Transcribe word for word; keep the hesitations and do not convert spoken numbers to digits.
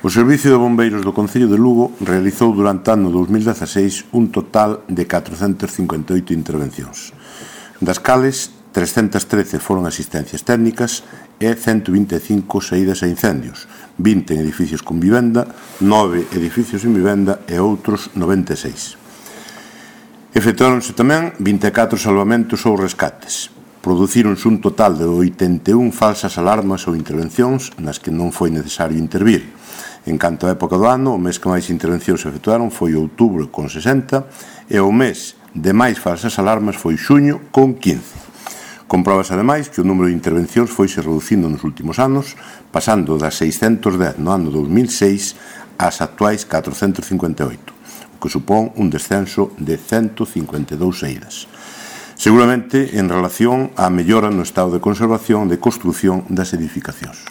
O Servicio de Bombeiros do Concello de Lugo realizou durante o ano dous mil dezaseis un total de catrocentas cincuenta e oito intervencións, das cales trescentas trece foron asistencias técnicas e ciento vinte e cinco saídas a incendios, vinte en edificios con vivenda, nove edificios en vivenda e outros noventa e seis. Efectuáronse tamén vinte e catro salvamentos ou rescates. Producíronse un total de oitenta e un falsas alarmas ou intervencións nas que non foi necesario intervir. En canto á época do ano, o mes que máis intervencións efectuaron foi outubro con sesenta e o mes de máis falsas alarmas foi xuño con quince. Compróbase ademais que o número de intervencións foise reducindo nos últimos anos, pasando das seiscentas dez no ano dous mil seis ás actuais catrocentas cincuenta e oito, o que supón un descenso de ciento cincuenta e dous saídas. Seguramente en relación á mellora no estado de conservación e de construción das edificacións.